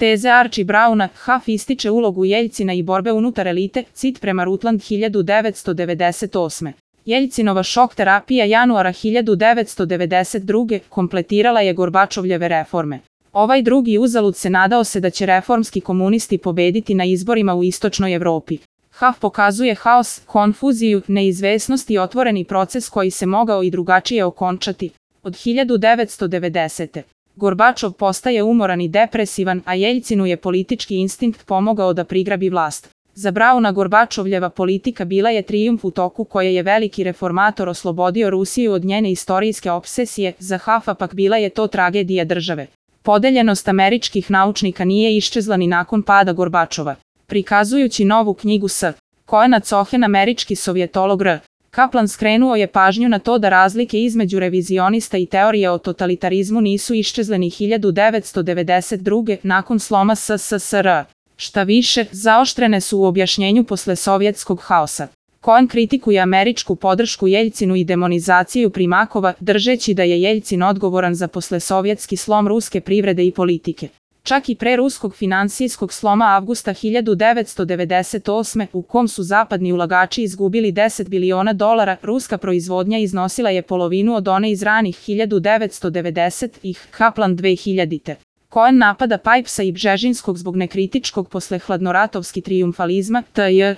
Teze Archie Browna, Huff ističe ulogu Jeljcina i borbe unutar elite, cit prema Rutland 1998. Jeljcinova šok terapija januara 1992. kompletirala je Gorbačovljeve reforme. Ovaj drugi uzalud se nadao se da će reformski komunisti pobediti na izborima u istočnoj Evropi. Huff pokazuje haos, konfuziju, neizvesnost i otvoreni proces koji se mogao i drugačije okončati. Od 1990. Gorbačov postaje umoran i depresivan, a Jeljcinu je politički instinkt pomogao da prigrabi vlast. Za Brauna Gorbačovljeva politika bila je trijumf u toku koje je veliki reformator oslobodio Rusiju od njene istorijske obsesije, za Huffa pak bila je to tragedija države. Podeljenost američkih naučnika nije iščezla ni nakon pada Gorbačova. Prikazujući novu knjigu S. Cohena Cohen, američki sovjetolog R. Kaplan skrenuo je pažnju na to da razlike između revizionista i teorije o totalitarizmu nisu iščezle ni 1992. nakon sloma SSSR. Šta više, zaoštrene su u objašnjenju posle sovjetskog haosa. Cohen kritikuje američku podršku Jeljcinu i demonizaciju Primakova, držeći da je Jeljcin odgovoran za poslesovjetski slom ruske privrede i politike. Čak i pre ruskog finansijskog sloma avgusta 1998. u kom su zapadni ulagači izgubili $10 biliona, ruska proizvodnja iznosila je polovinu od one iz ranih 1990-ih, Kaplan 2000. Cohen napada Pipesa i Bžežinskog zbog nekritičkog posle hladnoratovski trijumfalizma,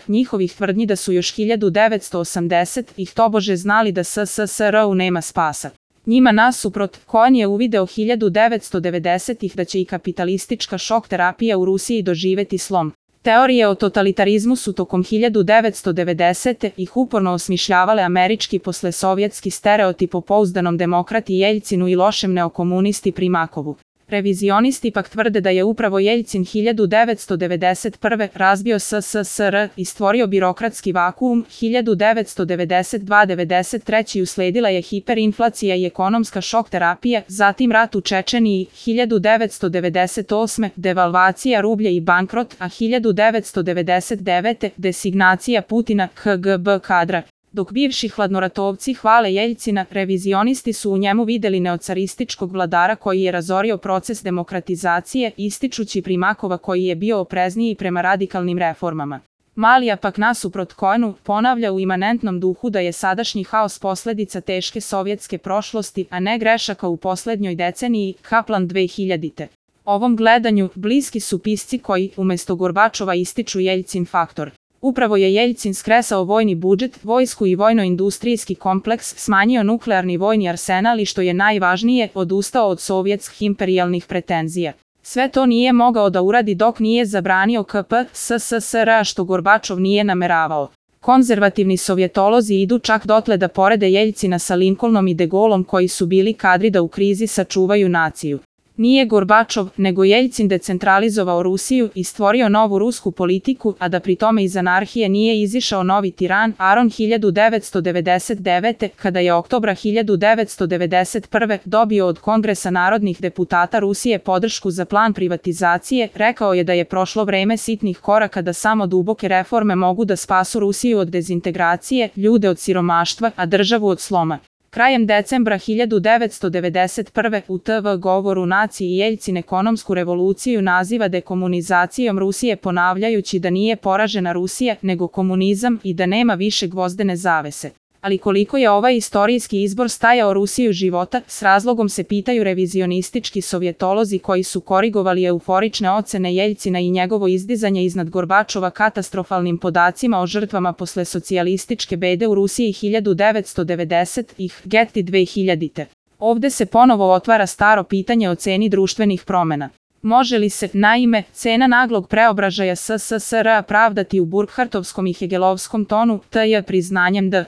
njihovih tvrdnji da su još 1980-ih tobože znali da SSSR-u nema spasa. Njima nasuprot, Cohen je uvideo 1990-ih da će i kapitalistička šok terapija u Rusiji doživeti slom. Teorije o totalitarizmu su tokom 1990-ih uporno osmišljavale američki poslesovjetski stereotip o pouzdanom demokrati Jeljcinu i lošem neokomunisti Primakovu. Revizionisti pak tvrde da je upravo Jeljcin 1991. razbio SSSR i stvorio birokratski vakuum. 1992-93. usledila je hiperinflacija i ekonomska šok terapija, zatim rat u Čečeniji, 1998. devalvacija rublja i bankrot, a 1999. designacija Putina KGB kadra. Dok bivši hladnoratovci hvale Jeljcina, revizionisti su u njemu videli neocarističkog vladara koji je razorio proces demokratizacije, ističući Primakova koji je bio oprezniji prema radikalnim reformama. Malija pak nasuprot Cohenu ponavlja u imanentnom duhu da je sadašnji haos posledica teške sovjetske prošlosti, a ne grešaka u poslednjoj deceniji, Kaplan 2000. Ovom gledanju bliski su pisci koji, umesto Gorbačova, ističu Jeljcin faktor. Upravo je Jeljcin skresao vojni budžet, vojsku i vojno-industrijski kompleks, smanjio nuklearni vojni arsenal i što je najvažnije, odustao od sovjetskih imperijalnih pretenzija. Sve to nije mogao da uradi dok nije zabranio KP SSSR, što Gorbačov nije nameravao. Konzervativni sovjetolozi idu čak dotle da porede Jeljcina sa Lincolnom i De Gaulleom koji su bili kadri da u krizi sačuvaju naciju. Nije Gorbačov, nego Jeljcin decentralizovao Rusiju i stvorio novu rusku politiku, a da pri tome iz anarhije nije izišao novi tiran, Aron 1999. kada je oktobra 1991. dobio od Kongresa narodnih deputata Rusije podršku za plan privatizacije, rekao je da je prošlo vreme sitnih koraka da samo duboke reforme mogu da spasu Rusiju od dezintegracije, ljude od siromaštva, a državu od sloma. Krajem decembra 1991. u TV govoru naciji Jeljcin ekonomsku revoluciju naziva dekomunizacijom Rusije, ponavljajući da nije poražena Rusija, nego komunizam i da nema više gvozdene zavese. Ali koliko je ovaj istorijski izbor stajao Rusiju života, s razlogom se pitaju revizionistički sovjetolozi koji su korigovali euforične ocene Jeljcina i njegovo izdizanje iznad Gorbačova katastrofalnim podacima o žrtvama posle socijalističke bede u Rusiji 1990-ih, Getty 2000. Ovde se ponovo otvara staro pitanje o ceni društvenih promena. Može li se, naime, cena naglog preobražaja SSSR pravdati u Burkhartovskom i Hegelovskom tonu, priznanjem da